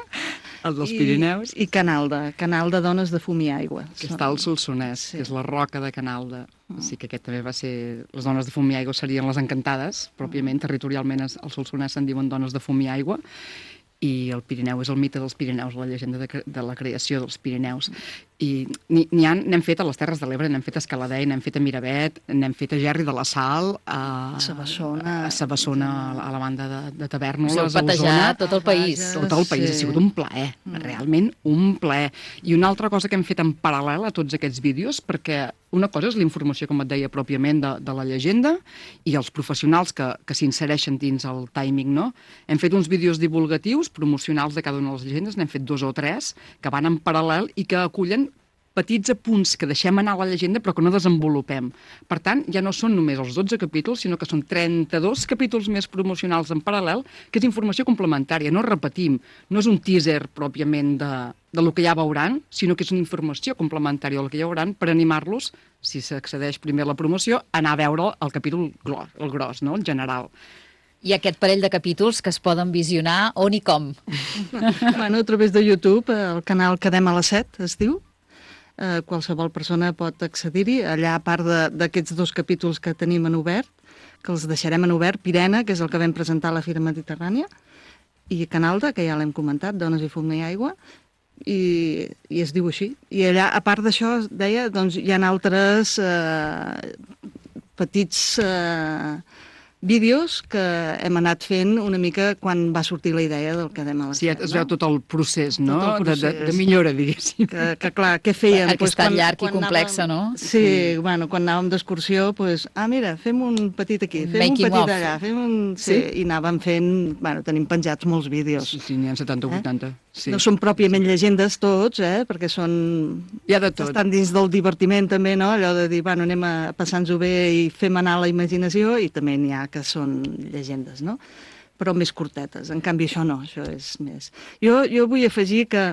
El dels Pirineus. I Canalda, Dones de Fum i Aigua. Que està al Solsonès, que és la roca de Canalda. Sí que aquest també va ser... Les dones de fum i aigua serien les encantades, pròpiament, territorialment al Solsonès se'n diuen dones de fum i aigua, i el Pirineu és el mite dels Pirineus, la llegenda de la creació dels Pirineus. I n'hem fet a les Terres de l'Ebre, n'hem fet a Escaladei, n'hem fet a Miravet, n'hem fet a Gerri de la Sal, a Sabassona, a la banda de Tavèrnoles, a Osona. Patejat tot el país. Tot el país, ha sigut un plaer, realment un plaer. I una altra cosa que hem fet en paral·lel a tots aquests vídeos, perquè una cosa és la informació, com et deia, pròpiament de la llegenda i els professionals que s'insereixen dins el timing, no? Hem fet uns vídeos divulgatius, promocionals de cada una de les llegendes, n'hem fet 2 o 3, que van en paral·lel i que acullen petits apunts que deixem anar a la llegenda però que no desenvolupem. Per tant, ja no són només els 12 capítols, sinó que són 32 capítols més promocionals en paral·lel, que és informació complementària, no repetim, no és un teaser pròpiament de lo que ja veuran, sinó que és una informació complementària del que ja veuran per animar-los, si s'accedeix primer a la promoció, a anar a veure el capítol el gros, no? El general. I aquest parell de capítols que es poden visionar on i com? Bueno, a través de YouTube, el canal Quedem a les 7, es diu. Qualsevol persona pot accedir-hi. Allà, a part d'aquests 2 capítols que tenim en obert, que els deixarem en obert, Pirena, que és el que vam presentar a la Fira Mediterrània, i Canalda, que ja l'hem comentat, Dones i Fum i Aigua, i es diu així. I allà, a part d'això, deia, doncs hi ha altres petits vídeos que hem anat fent una mica quan va sortir la idea del Quedem a les 7. Sí, es veu tot el procés, no? De millora, diguéssim. Que clar, què feien? Que és tan llarg i complex, no? Sí, bueno, quan anàvem d'excursió, mira, fem un petit aquí, fem un petit allà, fem un... Sí, i anàvem fent... Bueno, tenim penjats molts vídeos. Sí, n'hi ha 70 o 80. No són pròpiament llegendes tots, perquè són... Hi ha de tot. Estan dins del divertiment també, no? Allò de dir, bueno, anem a passar-nos-ho bé i fem anar la imaginació, i també n'hi ha que són llegendes, no? Però més curtetes. En canvi, això no, això és més... Jo vull afegir que,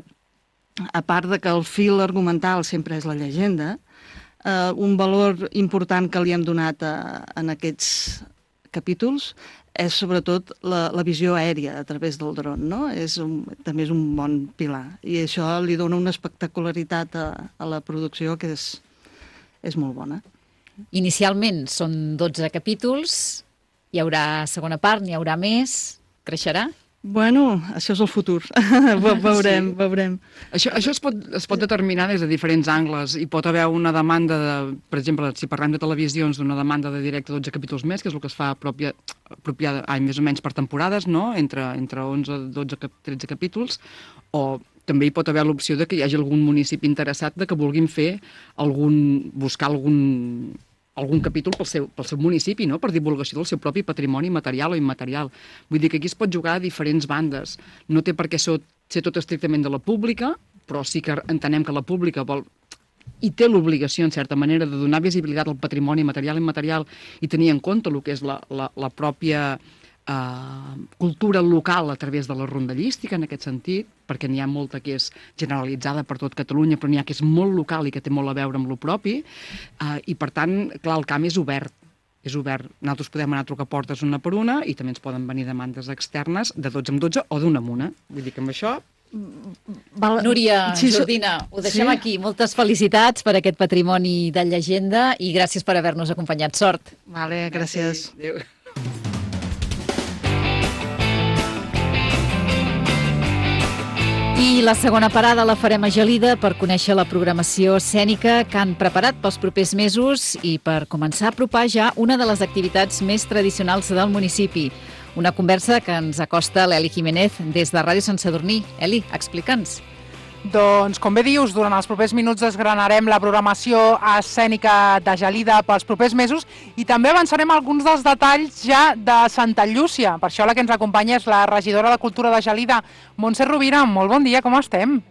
a part de que el fil argumental sempre és la llegenda, un valor important que li hem donat en aquests capítols és sobretot la visió aèria a través del dron, no? També és un bon pilar. I això li dona una espectacularitat a la producció que és molt bona. Inicialment són 12 capítols, hi haurà segona part, n'hi haurà més, creixerà? Bueno, això és el futur. Veurem. Això es pot determinar des de diferents angles. Hi pot haver una demanda, per exemple, si parlem de televisions, d'una demanda de directe 12 capítols més, que és el que es fa més o menys per temporades, no? Entre 11, 12, 13 capítols, o també hi pot haver l'opció de que hi hagi algun municipi interessat de que vulguin buscar algun capítol pel seu municipi, no? Per divulgació del seu propi patrimoni material o immaterial. Vull dir que aquí es pot jugar a diferents bandes. No té per què ser tot estrictament de la pública, però sí que entenem que la pública vol i té l'obligació, en certa manera, de donar visibilitat al patrimoni material i immaterial i tenir en compte el que és la pròpia cultura local a través de la rondallística, en aquest sentit, perquè n'hi ha molta que és generalitzada per tot Catalunya, però n'hi ha que és molt local i que té molt a veure amb lo propi, i per tant, clar, el camp és obert. Nosaltres podem anar a trucar portes una per una i també ens poden venir demandes externes de 12 en 12 o d'una en una. Vull dir que amb això... Núria, Jordina, ho deixem aquí. Moltes felicitats per aquest patrimoni de llegenda i gràcies per haver-nos acompanyat. Sort. Vale, gràcies. Adéu. I la segona parada la farem a Gelida per conèixer la programació escènica que han preparat pels propers mesos i per començar a apropar ja una de les activitats més tradicionals del municipi. Una conversa que ens acosta l'Eli Jiménez des de Ràdio Sant Sadurní. Eli, explica'ns. Doncs, com bé dius, durant els propers minuts desgranarem la programació escènica de Gelida pels propers mesos i també avançarem alguns dels detalls ja de Santa Llúcia. Per això la que ens acompanya és la regidora de Cultura de Gelida, Montse Rovira. Molt bon dia, com estem?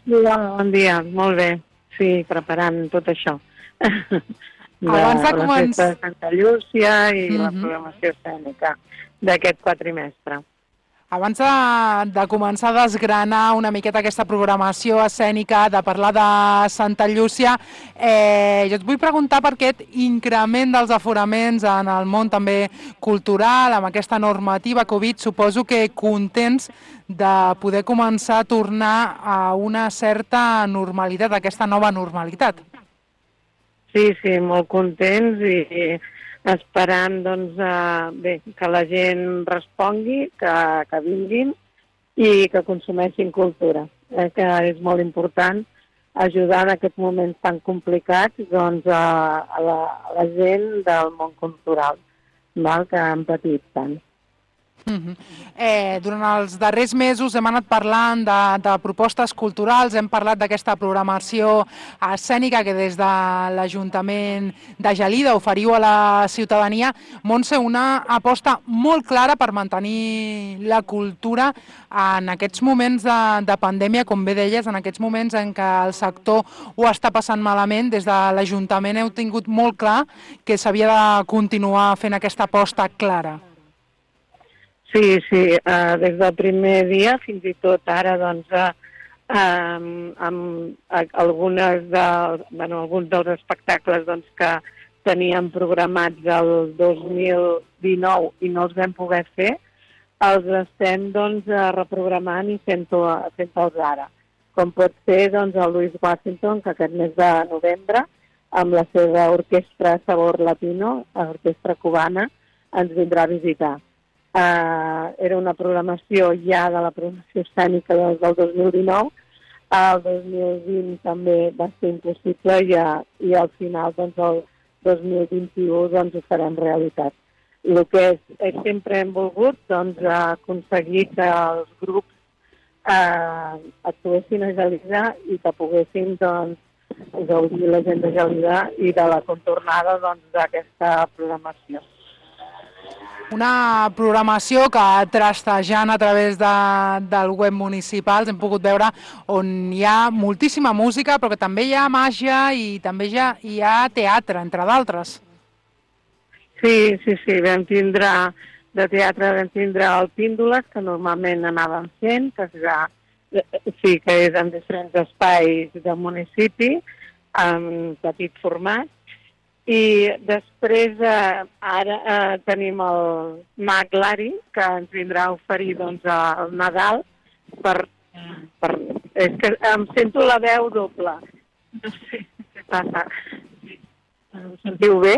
Bon dia, molt bé. Sí, preparant tot això. Abans de començar... La festa de Santa Llúcia i la programació escènica d'aquest quatrimestre. Abans de començar a desgranar una miqueta aquesta programació escènica, de parlar de Santa Llúcia, jo et vull preguntar per aquest increment dels aforaments en el món també cultural, amb aquesta normativa Covid. Suposo que contents de poder començar a tornar a una certa normalitat, aquesta nova normalitat. Sí, molt contents i esperant doncs, que la gent respongui, que vinguin i que consumeixin cultura, que és molt important ajudar en aquests moments tan complicats doncs, a la gent del món cultural, que han patit tant. Durant els darrers mesos hem anat parlant de propostes culturals, hem parlat d'aquesta programació escènica que des de l'Ajuntament de Gelida oferiu a la ciutadania. Montse, una aposta molt clara per mantenir la cultura en aquests moments de pandèmia, com bé deies, en aquests moments en què el sector ho està passant malament. Des de l'Ajuntament heu tingut molt clar que s'havia de continuar fent aquesta aposta clara. Sí, des del primer dia, fins i tot ara, doncs, amb alguns dels espectacles doncs, que teníem programats el 2019 i no els vam poder fer, els estem doncs, reprogramant i fent-los ara. Com pot ser doncs, el Louis Washington, que aquest mes de novembre, amb la seva orquestra Sabor Latino, orquestra cubana, ens vindrà a visitar. Era una programació ja de la programació escènica del 2019, el 2020 també va ser impossible i al final doncs, el 2021 doncs, ho farem realitat. El que sempre hem volgut doncs, aconseguir que els grups actuessin a Gelida i que poguessin doncs, gaudir la gent de Gelida i de la contornada doncs, d'aquesta programació. Una programació que trastejant a través del web municipal hem pogut veure on hi ha moltíssima música, però que també hi ha màgia i també hi ha teatre, entre d'altres. Sí, vam tindre el Píndoles, que normalment anàvem fent, que és en diferents espais del municipi, en petit format. I després ara tenim el Mag Lari, que ens vindrà a oferir doncs, el Nadal. És que em sento la veu doble. No sé què passa. Em sentiu bé?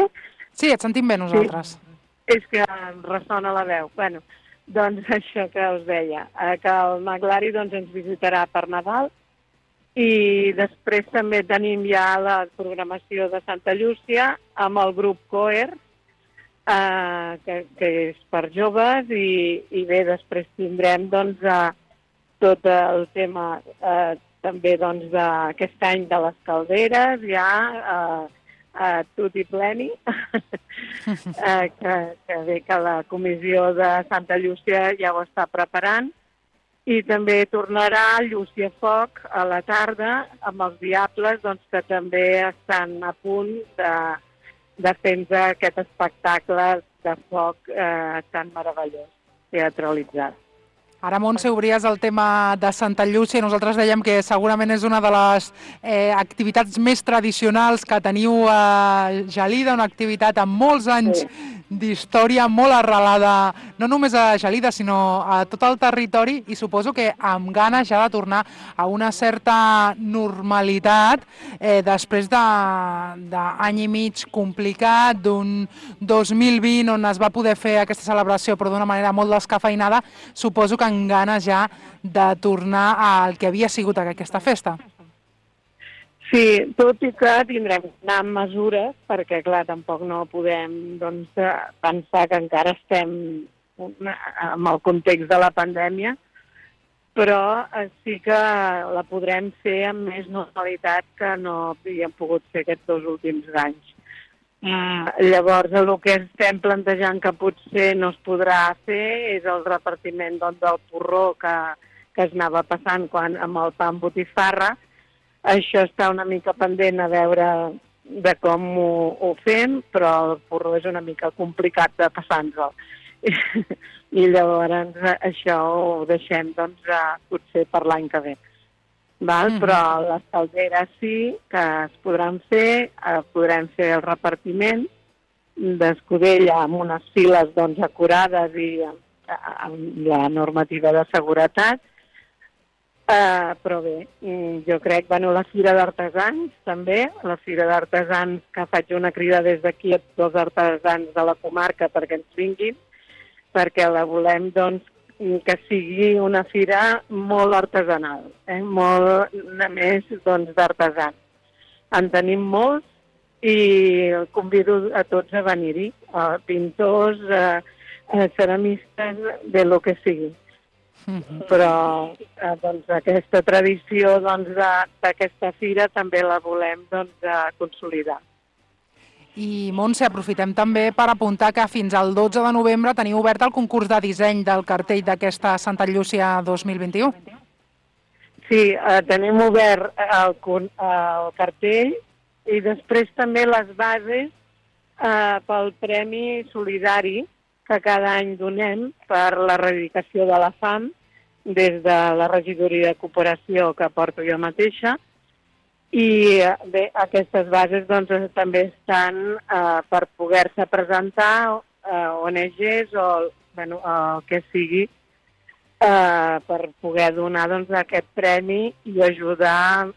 Sí, et sentim bé nosaltres. Sí. És que em ressona la veu. Bueno, doncs això que us deia, que el Mag Lari doncs, ens visitarà per Nadal. I després també tenim ja la programació de Santa Llúcia amb el grup Coer, que és per joves, i bé, després tindrem doncs, tot el tema també doncs, d'aquest any de les calderes, ja tutti pleni, que bé que la comissió de Santa Llúcia ja ho està preparant. I també tornarà Llúcia Foc a la tarda amb els Diables, doncs, que també estan a punt de fer-nos aquest espectacle de foc tan meravellós, teatralitzat. Ara, Montse, obries el tema de Santa Llúcia i nosaltres dèiem que segurament és una de les activitats més tradicionals que teniu a Gelida, una activitat amb molts anys d'història, molt arrelada no només a Gelida, sinó a tot el territori, i suposo que amb ganes ja de tornar a una certa normalitat després d'any i mig complicat, d'un 2020 on es va poder fer aquesta celebració però d'una manera molt descafeinada. Suposo que amb ganes ja de tornar al que havia sigut aquesta festa. Sí, tot i que tindrem que anar amb mesures, perquè, clar, tampoc no podem doncs, pensar que encara estem en el context de la pandèmia, però sí que la podrem fer amb més normalitat que no havíem pogut fer aquests 2 últims anys. Llavors, el que estem plantejant que potser no es podrà fer és el repartiment doncs, del porró que es anava passant amb el pa amb botifarra. Això està una mica pendent a veure de com ho fem, però el porró és una mica complicat de passar-nos-el. I llavors això ho deixem doncs, potser per l'any que ve. Però les calderes sí que es podran fer, podrem fer el repartiment d'escudella amb unes files doncs, acurades i amb la normativa de seguretat. Però bé, jo crec, la Fira d'Artesans també, la Fira d'Artesans, que faig una crida des d'aquí a tots els artesans de la comarca perquè ens vinguin, perquè la volem doncs, que sigui una fira molt artesanal, molt més doncs, d'artesans. En tenim molts i convido a tots a venir-hi, pintors, ceramistes, de lo que sigui. Però doncs, aquesta tradició doncs, d'aquesta fira també la volem doncs, consolidar. I, Montse, aprofitem també per apuntar que fins al 12 de novembre teniu obert el concurs de disseny del cartell d'aquesta Santa Llúcia 2021. Sí, tenim obert el cartell i després també les bases pel Premi Solidari que cada any donem per l'erradicació de la fam des de la regidoria de cooperació que porto jo mateixa. I bé, aquestes bases doncs, també estan per poder-se presentar ONGs o el que sigui per poder donar doncs, aquest premi i ajudar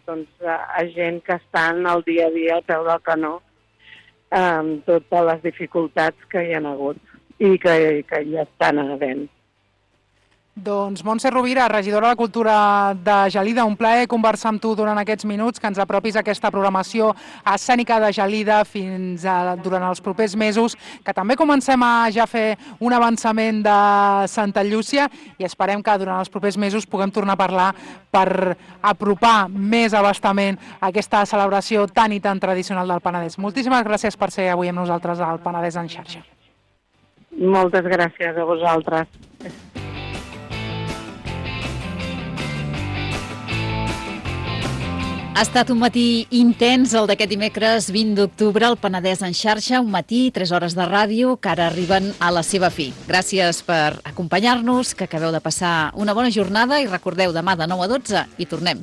doncs, a gent que estan al dia a dia al peu del canó amb totes les dificultats que hi ha hagut i que ja estan havent. Doncs Montse Rovira, regidora de Cultura de Gelida, un plaer conversar amb tu durant aquests minuts, que ens apropis a aquesta programació escènica de Gelida durant els propers mesos, que també comencem a ja fer un avançament de Santa Llúcia i esperem que durant els propers mesos puguem tornar a parlar per apropar més abastament aquesta celebració tan i tan tradicional del Penedès. Moltíssimes gràcies per ser avui amb nosaltres al Penedès en xarxa. Moltes gràcies a vosaltres. Ha estat un matí intens, el d'aquest dimecres 20 d'octubre, al Penedès en xarxa, un matí, 3 hores de ràdio, que ara arriben a la seva fi. Gràcies per acompanyar-nos, que acabeu de passar una bona jornada i recordeu, demà de 9 a 12 hi tornem.